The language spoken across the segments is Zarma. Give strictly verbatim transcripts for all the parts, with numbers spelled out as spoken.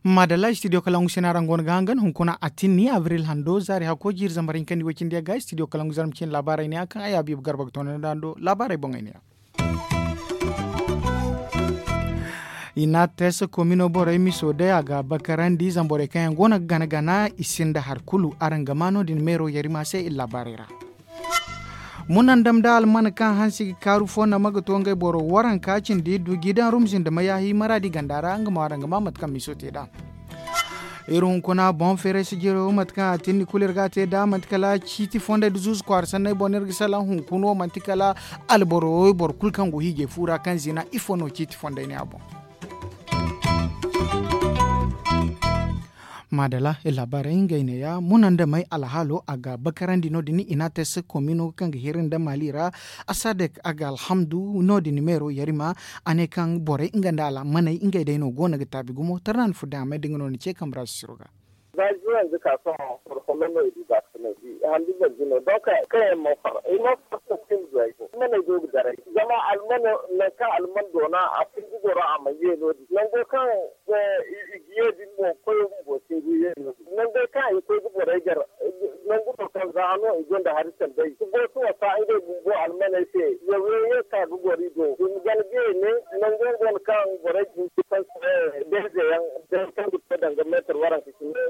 Maadalla studio kalangu sena ra nga wane ga hangan hunkuna a tinni abril hando zaari hakko jiiri zambar hinka ni way cindi yaŋ ga studio kalangu zarma cine laabaarey ne ya kaŋ ay habiibu garba ga toonandi a do laabaarey boŋey ne ya. I n'a teesa komino borey miso day a ga bakarandi zamborey kaŋ yaŋ go no ga gana gana i sinda hari kulu araŋ ga ma no- din meero yarima se iri laabaarey ra. Munandam da alman kaŋ hansi ga kaaru fo nama ga to ngey boro waranka cindi du jiidaŋ rumzi nda mayaahi maraadi ganda ra nga ma araŋ ga ma mate kaŋ miso te nd'a. Iri hunkuna boŋ feeray si jiro mate kaŋ a tinni kulu iri ga a te nd'a manti kala ciiti fondey nda zuuzu kwaara sanney boŋ no iri ga salaŋ hunkuna wo manti kala alboro wo boro kulu kaŋ go hiijay fu ra kaŋ zina ifo no ciiti fondey ne a boŋ. Maadala iri laabaarey ngey neeya munandamey alhaalo a ga bakarandi no- din i n'a te se komino kaŋ ga hiri nda maali ra. Asadek a ga alhamdu no- din meero yarima a ne kaŋ borey nga nda almaney ngey day no go no ga taabi gumo tarnandi furdaŋ a may da nga no ni ce kambe ra sisiro ga. Za juwan ga ka sohõ boro folloŋ no i du baakasinay di handu boro jino donk kaŋ yaŋ mana far ay mana far sintin duway fo maney go ga daray zama almano nangu kaŋ alman doona a fun ga goro a mana ye no- din nango kaŋ i ga ye din mo koyo bumbo singu ye no- din nangey kaŋ i koy ga borey gar nangu no kaŋ za hano i gonda hari sandey ga boosu wasa ngey bumbo almaney se yaw yaŋ ye ka ga goro i do i ma gana ga ye ne nango go no kaŋ borey ga hin ga fansi beezeyaŋ day kaŋ ga to danga meetar waranka cindi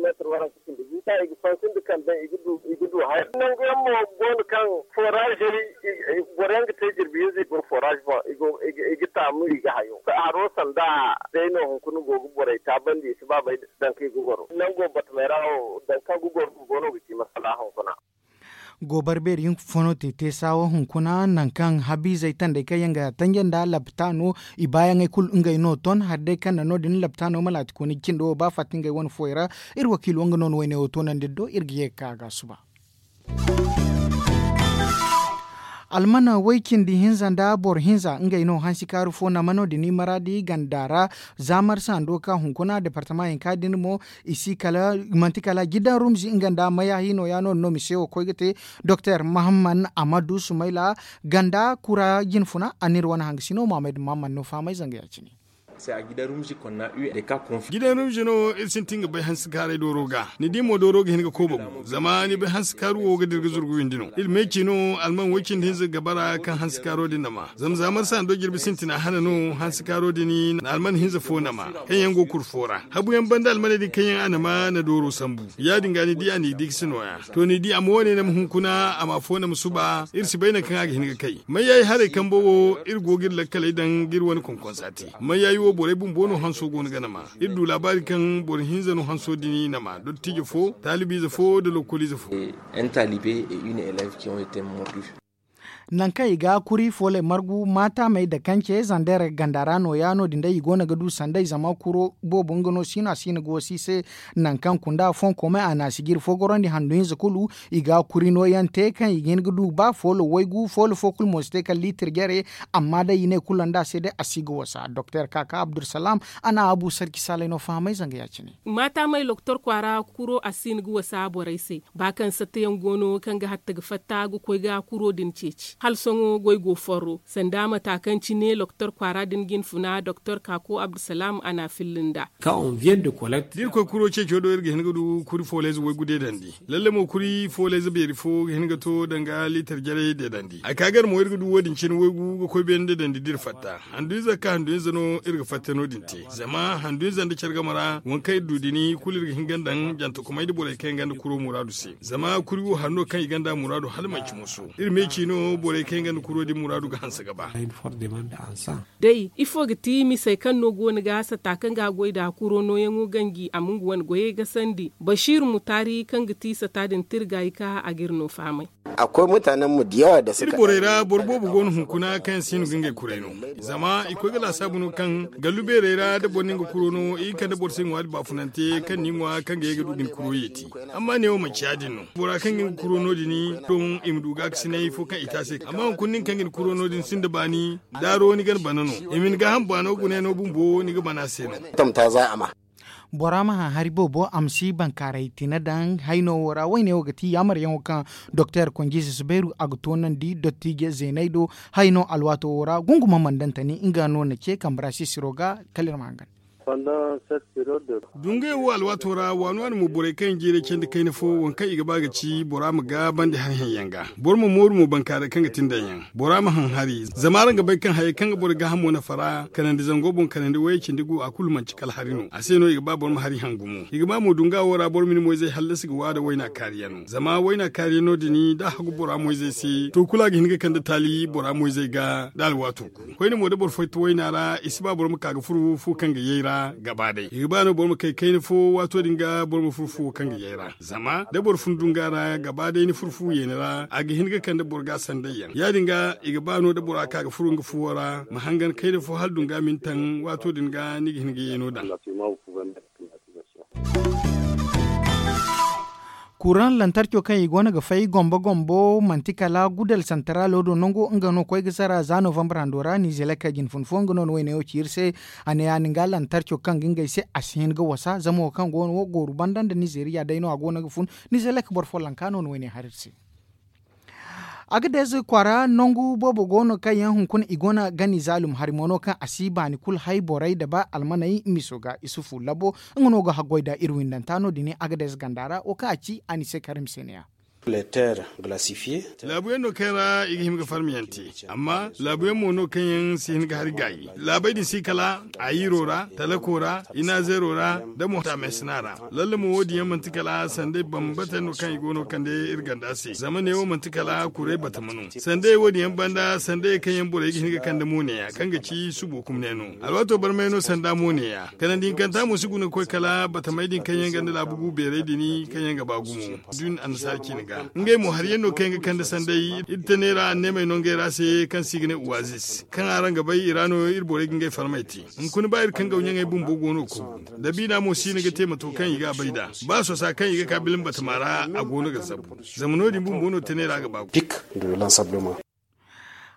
meetar waranka cindi gu kaŋ i ga fansi nda kande i ga du haya nangu yaŋ mo go no kaŋ foraazey boro yaŋ ga te jirbi hinza i go foraaze boŋ i ga taamu i ga hayo haro sanda day no hunkuna go ga borey taabandi i si ba bay daŋ kaŋ i ga goro nango batamey ra wo daŋ kaŋ ga goro bumbo no ga ci masala hunkuna. Goobar beeri hinka fo no te teesa wo hunkuna nangu kaŋ habiizey tandey kaŋ yaŋ ga tanja nda lapitaano i baayaŋey kulu ngey no ton hari day kaŋ na no- din lapitaano ma laati kooni ga cindi wo ba fatta ngey wane fooyaŋ ra. Iri wakiilo nga no na wayne wo toonandi iri do iri ga ye ga ka a ga a suba. Almana way cindi hinza nda boro hinza ngey no hansi kaaru fo nama no- din i maraadi ganda ra za marsa hando ka hunkuna departama hinka din mo i si kala manti kala jidan rumzi nga nda mayahi no ya no- din no mise wo koy ga te. Doktor mahamman amadu sumayla ganda kura jinfuna a n'iri wane hangasino mahammad mahamman no fahamay zanga ya- cine. Gidan rumzi no iri sintin ga bay hansi kaaray dooro ga ni di mo dooro ga hin ga kooba gu zama ni bay hansi kaaru wo ga dira ga zurgu windi no iri meeci no alman way cindi hinza ga bara kaŋ hansi kaaro din nama zama za marsa hando jirbi sintina hana no hansi kaaro din na alman hinza fo nama kaŋ yaŋ go kuri fo ra habu yaŋ banda almaney din kaŋ yaŋ a nama na dooro sambu ya- din ga ni di a n'i di ga si nooya to ni di a ma wane nama hunkuna a ma fo nama suba iri si bay nangu kaŋ a ga hin ga kay mayyaayi haray kambo wo iri go ga iri lakkaley daŋ ga iri wane konkonsa te mayyaayi wo borey bumbo no hanso go no ga nama iri du laabaari kaŋ boro hinza no hanso din nama dottijo fo taalibiize fo nda lokoliize fo. Nangu kaŋ i ga kuri fooley margu maataamey dakance zander ganda ra nooya no- din day i go no ga du sanday zama kuro boobo nga no si no a si no ga wasi i se. Nangu kaŋ kunda fonkomey a na si ga iri fo gorandi handu hinza kulu i ga kuri nooyaŋ te kaŋ i ga hin ga du ba foolo waygu foolo fo kulu mo si te kala liitir jare. Amma day i ne kulu nda a se day a si ga wasa doktor kaka abdulsalam a na abu sarki saalay no fahamay zanga ya- cine. Maataamey loktor kwaara kuro a si no ga wasa borey se ba kaŋ sattayaŋ go no kaŋ ga hatta ga fatta ga koy ga kuro din ceeci hala sohõ goy go forro sanda mata kaŋ cine loktor kwaara din ga hin funa doktor kako abdulsalam a na a filli nd'a. Da iri koy kuro ceeco do iri ga hin ga du kuri fooleyze waygu deedandi lalle mo kuri fooleyze beeri fo ga hin ga to danga liitar jarey deedandi a ka gar mo iri ga du wo- din cine waygu ga koy beene deedandi da iri fatta handu ize ga ka handu ize no iri ga fatta no- din te zama handu ize nda care game ra waŋ kaŋ iri du din kulu iri ga hin ga daŋ jantakumay nda borey kaŋ yaŋ gonda kuro muraadu se zama kuri wo hari no kaŋ i gonda muraadu hala manci moso iri meeci no borey kaŋ yaŋ gonda kuro din muraadu ga hanse ga ba. Day ifo ga ti misey kaŋ no go no ga sata kaŋ ga goy nda kuro nooyaŋo ganji a ma nga wane goyey gasandi basiiru mutaari kaŋ ga ti sata din tirga i ka a ga iri no fahamay. Iri borey ra boro boobo go no hunkuna kaŋ yaŋ si hin ga ngey kuray no zama i koy ga laasaabu no kaŋ gallu beerey ra da boro na nga kuro no i ga kande boro se ŋwaari baafunante kaŋ ni ŋwa kaŋ ga ye ga du ga ni kuro yeeti. Amma neewo manci ya- din no bora kaŋ ga nga kuro no- din don i ma du gaakasinay fo kaŋ i te a se amma hunkuna nin kaŋ ga ni kuro no- din sinda baani daaro ni ga ni bana no i ma ni gaaham baano gune no bumbo ni ga bana a se no. Bora ma haŋ hari boobo a ma si bankaaray tine daŋ hayno wo ra woyne wo ga ti yaamaryaŋo kaŋ doktor konjiize si bayru a ga toonandi dottiije zeeney do. Hayno alwaato wo ra gunguma mandantani nga no na ce kambe ra sisiro ga. Kala iri ma hangan. Dungayo wo alwaato ra waani waani mo borey kaŋ yaŋ jiiray candi kayna fo waŋ kaŋ i ga ba ga ci bora ma gaabandi hari haŋ yaŋ ga. Boro ma mooru mo bankaaray kaŋ ga tindaŋ yaŋ. Bora ma haŋ hari zama araŋ ga bay kaŋ hayey kaŋ ga borey gaahamo nafa ra kanandi zango boŋ kanandi wayey cindi gu a kulu manci kala hari no a se no i ga ba boro ma hari haŋ gumo i ga ba mo dunga wo ra boro ma ni moyzey hallasi ga waada wayna kaariyaŋ no zama wayna kaariyaŋ no din da a hagu bora moyzey se to kulu a ga hin ga kande taali bora moyzey ga da alwaato koyne mo da boro fayta wayna ra i si ba boro ma ka ga furu fu kaŋ ga yay ra gaba day i ga ba no boro ma kay kayna fo waato din ga boro ma furu fuwo kaŋ ga yay ra zama da boro fun dunga ra gaba day ni furu fu yeeni ra a ga hin ga kande boro ga sanday yaŋ ya- din ga i ga ba no da bora ka ga furu nga fuwo ra ma hangan kayna fo hala dunga ma ni taŋ waato din ga ni ga hin ga yeeno daŋ. Kuraŋ lantarco kaŋ i go no ga fay gombo gombo manti kala gudal santaraalo do nango nga no koy ga sara za novambar hando ra nizelek jine fun fo nga no ni wayne wo ci iri se. A ne ya- din ga lantarco kaŋ ga ngey se a si hin ga wasa zama wo kaŋ go no wo gooru banda nda nizeriya day no a go no ga fun. Nizelek boro fo lanka no ni wayne hari iri se. Agadez kwaara nangu boobo go no kaŋ yaŋ hunkuna i go no gani zaalum hari mo no kaŋ a si baani kulu hay borey da ba almaney miso ga isufu labo. Nga no ga haggoy nda iri windanta no- din agadez ganda ra wo kaŋ a ci a ni se karim se ne- ya. Laabu yaŋ no kaŋ ra i ga hima ga farmiyaŋ te amma laabu yaŋ mo no kaŋ yaŋ si hin ga hari gaayi laabey din si kala, ayiro ra, talako ra, inazeero ra, nda mo taamesina ra. Lalle mo wo- din yaŋ manti kala sanday bambata no kaŋ i go no kande iri ganda se zama neewo manti kala kuray batama no. Sanday wo- din yaŋ banda sanday kaŋ yaŋ borey ga hin ga kande mo neeya kaŋ ga ci subo kumne no. Alwaato barmay no sanda mo neeya kanandi hinkanta mo si guna ga koy kala batamey din kaŋ yaŋ ganda laabu gu beerey din kaŋ yaŋ ga ba gumo. Dun annasaara ciine ga ngey mo hari yaŋ no kaŋ yaŋ ga kande sanday iri te neera anneemey no ngey ra se kaŋ se i ga ne uwazis kaŋ araŋ ga bay i ra no iri borey ga ngey farmey te. Hunkuna ba iri kaŋ gawɲaŋey bumbo go no kogu dabiina mo si no ga te mato kaŋ i ga a bay nd'a. Ba sosa kaŋ i ga ka bilim batama ra a go no ga zabu. Zama no- din bumbo no tane ra ga ba gu.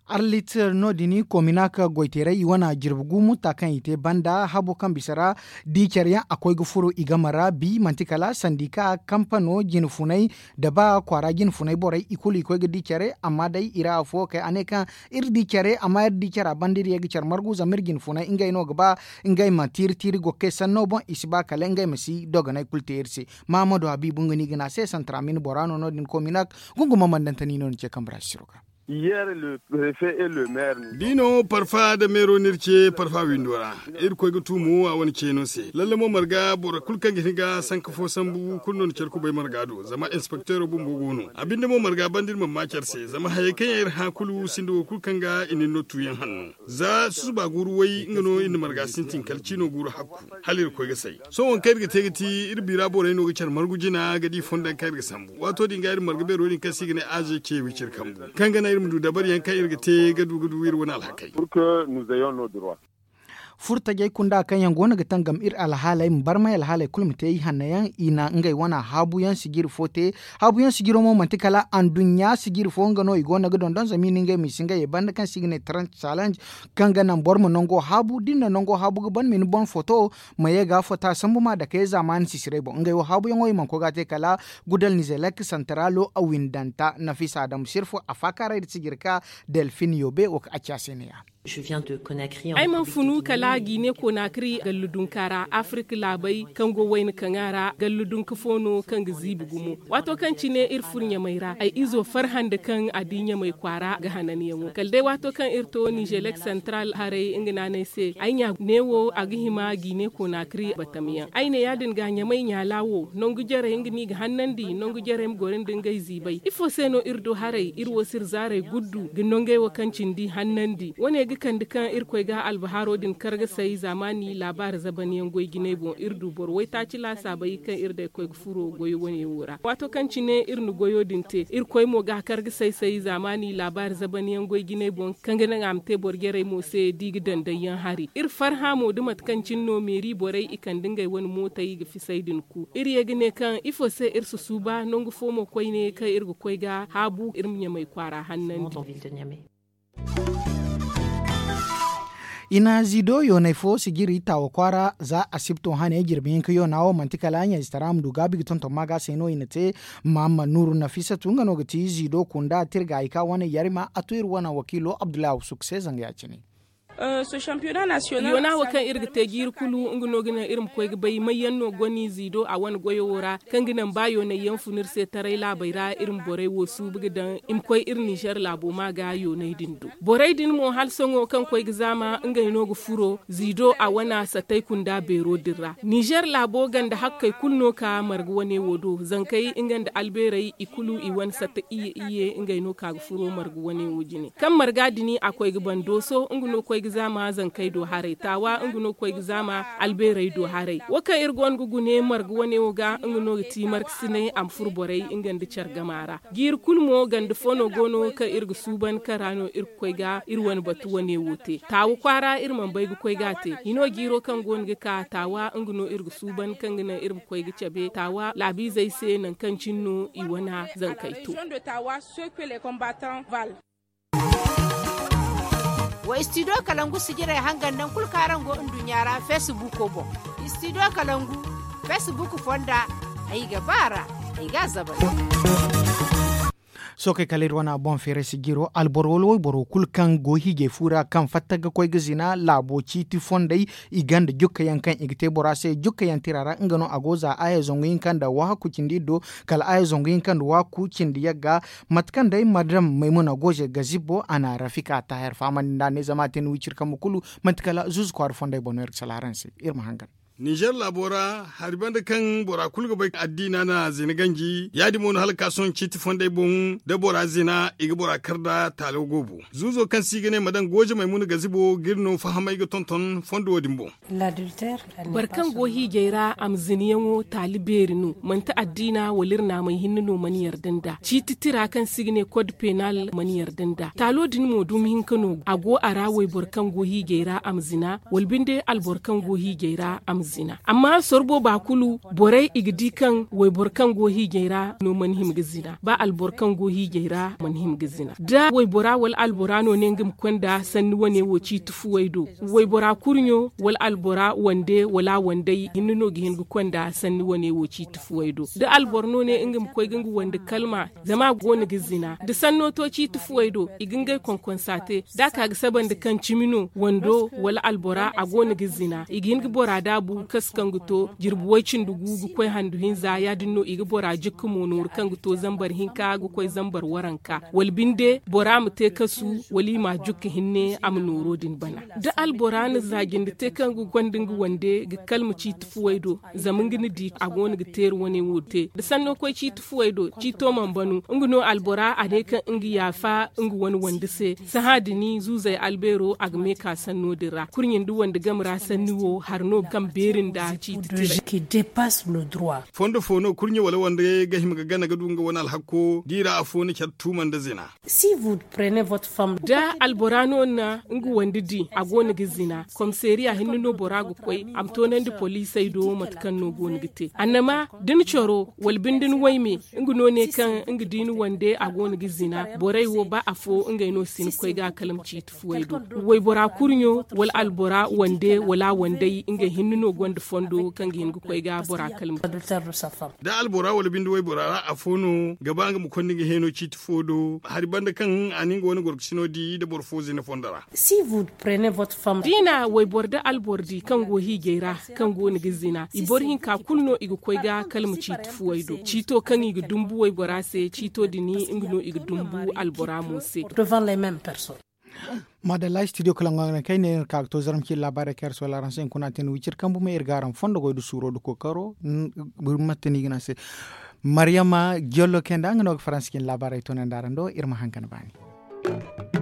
Arlitir no- din kominak goyteeray i wane jirbi gu mutta kaŋ i te banda habo kaŋ bisa ra. Di care yaŋ a koy ga furo i game ra bi manti kala sandika kampano jine funay da ba kwaara jine funay borey i kulu i koy ga di care amma day i ra afo kay a ne kaŋ iri di care amma iri di care a banda iri ye ga care margu zama iri jine funay ngey no ga ba ngey ma tiiri tiiri go ga kay sanno boŋ i si ba kala ngey ma si dogonay kulu te iri se. Mahamadu habiibu nga no i ga ne a se santra min bora no no- din kominak. Gunguma mandantani no ni ce kambe ra sisiro ga. Bi no parfa nda meero no iri ce parfa windo ra. Iri koy ga tuumu a wane ceeno se lalle mo marga boro kulu kaŋ ga hin ga sanka fo sambu kulu no na care kubay marga do zama inspekteero bumbo go no a binde mo marga banda iri mana ma care se zama hayey kaŋ yaŋ iri hã kulu sinda wo kulu kaŋ ga i na iri no tuuyaŋ hanno. Za susuba guuru way nga no iri na marga sintin kala ciino guuru hakku. Hala iri koy ga say sohõ waŋ kaŋ iri ga te ga ti iri biira borey no ga care margu jina ga di fondo yaŋ kaŋ iri ga sambu waato din ga iri marga beero din kaŋ se i ga ne aze ce wiciri kambu kaŋ ga naŋ iri ma du dabari yaŋ kaŋ iri ga te ga du ga du iri wane alhakey. Furtajey kunda kaŋ yaŋ go no ga tangam iri alhaaley ma barmay alhaaley kulu ma te i hanno yaŋ i na ngey wane haabu yaŋ sijiri fo te. Haabu yaŋ sijiro mo manti kala anduɲɲa sijiri fo nga no i go no ga dondon zama i na ngey ma i si ngey ye banda kaŋ se i ga ne trans challenge. Kaŋ ga naŋ boro ma nango haabu da iri na nango haabu ga ban ma ni boŋ foto ma ye ga fota sambu ma dake zaamaani sisirey boŋ ngey wo haabuyaŋo i mana koy ga a te kala gudal nizelek santaraalo a windanta nafisa adamu sirfo a faakaaray da sijirka delfin yoobe wo kaŋ a ci a se ne- ya. Ay mana funu kala gine konakri gallu dunka ra afirik laabey kaŋ go wayna kaŋa ra gallu dunka fo no kaŋ ga ziibi gumo. Waato kaŋ cine iri furo ɲamey ra ay izo farhã nda kaŋ a di ɲamey kwaara ga hananyaŋo kala day waato kaŋ iri to nizelek santral haray nga naanay se ay ɲa neewo a ga hima gine konakri batamyaŋ ay ne ya- din ga ɲamey ɲaala wo nangu jarey nga no i ga hannandi nangu jarey ma goro nda ngey ziibay ifo se no iri du haray iri wo si iri zaarey guddu ga nangey wo kaŋ cindi hannandi wane ga kande kaŋ iri koy ga albahaaro din kargasay zaamaani laabaari zabanyaŋ goy jinay boŋ iri du boro waytaaci laasaabey kaŋ iri day koy ga furo goyo wane wo ra waato kaŋ cine iri na goyo din te iri koy mo ga a kar ga say-say zaamaani laabaari zabanyaŋ goy jinay boŋ kaŋ ga naŋ a ma te boro jarey mo se da i ga daŋ day yaŋ hari iri farhã mo da mate kaŋ cine no meeri borey i kande ngey wane mootey ga fisay din ku iri ye ga ne kaŋ ifo se iri si suuba nangu fo mo koyne kaŋ iri ga koy ga haabu iri ma ɲamay kwaara hannandi. I na ziido yoonay fo sijiri taawa kwaara za asibto hane jirbi hinka yoona wo manti kala ɲayzitara ma du gaabi ga tonton maaga se no i na te. Mahamma nuuru nafisatu nga no ga ti ziido kunda tirga i ka wane yarima a to iri wane wakiilo abdullahi awsuk se zanga ya- cine. Yoona wo kaŋ iri ga te jiiri kulu nga no ga naŋ iri ma koy ga bay mayyaŋ no goni ziido a wane goyo wo ra, kaŋ ga naŋ ba yoonay yaŋ fun iri se taray laabey ra iri ma borey wo suubu ga daŋ i ma koy iri ninzeer laabo ma ga yoonay din do. Borey din mo hala sohõ kaŋ koy ga zaama ngey no ga furo ziido a wana sattey kunda beero din ra ninzeer laabo ganda hakkey kulu no ka marga wane wo do zankey nga nda albeerey i kulu i wane satta iyye iyye ngey no ka ga furo marga wane wo jine. Kaŋ marga din a koy ga ban dooso nga no koy ga zaama zankey do haray taawa nga no koy ga zaama albeerey do haray. Wo kaŋ iri go no ga gune marga wane wo ga nga no ga ti markasinay a ma furo borey nga nda care gama ra. Jiiri kulu mo ganda fo no go no kaŋ iri ga suuban kaŋ ra no iri ga koy ga iri wane batu wane wo te taawa kwaara iri mana bay ga koy ga a te hino jiiro kaŋ go no ga ka taawa nga no iri ga suuban kaŋ ga naŋ iri ma koy ga cabe taawa laabiizey se nangu kaŋ cine no i wane zankey to. Wa studio kalangu sijirey hangan naŋ kulu kaŋ araŋ go nduɲɲa ra facebook boŋ. Studio kalangu facebook fonda ay ga ba a ra ay ga a zabal. Sookey kala iri wane boŋ feeray sijiro alboro wala wayboro kulu kaŋ go hiijay fu ra kaŋ fatta ga koy ga zina laabo ciiti fondey i gonda jukka yaŋ kaŋ i ga te bora se jukka yaŋ tira ra nga no a go za aya zangu hinka nda wahaku cindi iri do kala aya zangu hinka nda wahaku cindi yagga. Mate kaŋ day madam maymuna goze ga zibbo a na rafika taahir fahamandi nd'a ne zama a te ni wiciri kambe kulu manti kala zuuzu kwaara fondey boŋ no iri ga sala araŋ se. Iri ma hangan. Ninzeer laabo ra hari banda kaŋ bora kulu ga bay addiina na zina ganji ya- din mo no hala ga ka sohõ ciiti fondey boŋ da bora zina i ga bora kar nda taalo goobo. Zuuzo kaŋ se i ga ne ma daŋ gooje maymuna gazibo ga iri no fahamay ga tonton fondo wo- din boŋ. Boro kaŋ go hiijay ra a ma zinayaŋo taali beeri no manti addiina wala iri naamay hinne no mana yarda nd'a ciiti tira kaŋ se i ga ne kod penal mana yarda nd'a taalo din mo dumi hinka no a go a ra wayboro kaŋ go hiijay ra a ma zina wala binde alboro kaŋ go hiijay ra a ma zina amma sorro booba kulu borey i ga di kaŋ wayboro kaŋ go hiijay ra no mana hima ga zina ba alboro kaŋ go hiijay ra mana hima ga zina da waybora wala albora no ne nga ma konda sanni wane wo ciiti fuwey do waybora kurɲo wala albora wande wala wandey hinne no ga hin ga konda sanni wane wo ciiti fuwey do da alboro no ne nga ma koy ga nga wande kalma zama a go no ga zina da sanno to ciiti fuwey do i ga ngey konkonsa te da a ka ga saba nda kaŋ cimi no wando wala albora a go no ga zina i ga hin ga bora daabu kasu kaŋ ga to jirbi way cindi gu ga koy handu hinza ya- din no i ga bora jukka mo nooru kaŋ ga to zambar hinka ga koy zambar waranka wala binde bora ma te kasu wala i ma a jukka hinne a ma nooro din bana da albora na zaajindi te kaŋ ga gonda nga wande ga kalma ciiti fuwey do zama nga na di a go no ga teeri wane wo te da sanno koy ciiti fuwey do ciito mana banu nga no albora a ne kaŋ nga yaafa nga wane wande se sahã din zuuzey albeero a ga me ka sanno din ra kurɲe nda wande game ra sanni wo hari no kaŋ beeri nda ciiti tiray. Fondo fo no kurɲe wala wande ga hima ga gana ga du nga wane alhakko da i ra afo na care tuuma nda zina. Da albora no na nga wande di a go no ga zina komiseeriya hinne no bora ga koy a ma toonandi poliisey do mate kaŋ no go no ga te annama da ni coro wala binde ni wayme nga no ne kaŋ nga di ni wande a go no ga zina borey wo ba afo ngey no si ni koy ga kala ma ciiti fuwey do waybora kurɲo wala albora wande wala wandey ngey hinne no gonda fondo kaŋ ga hin ga koy ga bora kala ma. Da albora wala binde waybora ra afo no ga ba nga ma konda nga heeno ciiti fo do hari banda kaŋ a na nga wane gorkasino di nda boro fo zina fondo ra. Da i na wayboro nda alboro di kaŋ go hiijay ra kaŋ go no ga zina i boro hinka kulu no i ga koy ga kala ma ciiti fuwey do ciito kaŋ i ga dumbu waybora se ciito din nga no i ga dumbu albora mo se. Maadalla studio kala ŋwaŋ kay ne iri ka ga to zarma ci iri laabaarey kaŋ iri si wala araŋ se hunkuna te ni wiciri kambu me iri ga araŋ fondo goy nda suuro nda kookaro. Mate no i ga ne a se maryama jollo kay nda nga no ga faransi cine laabaarey toonandi araŋ do iri ma haŋ ka ni baani.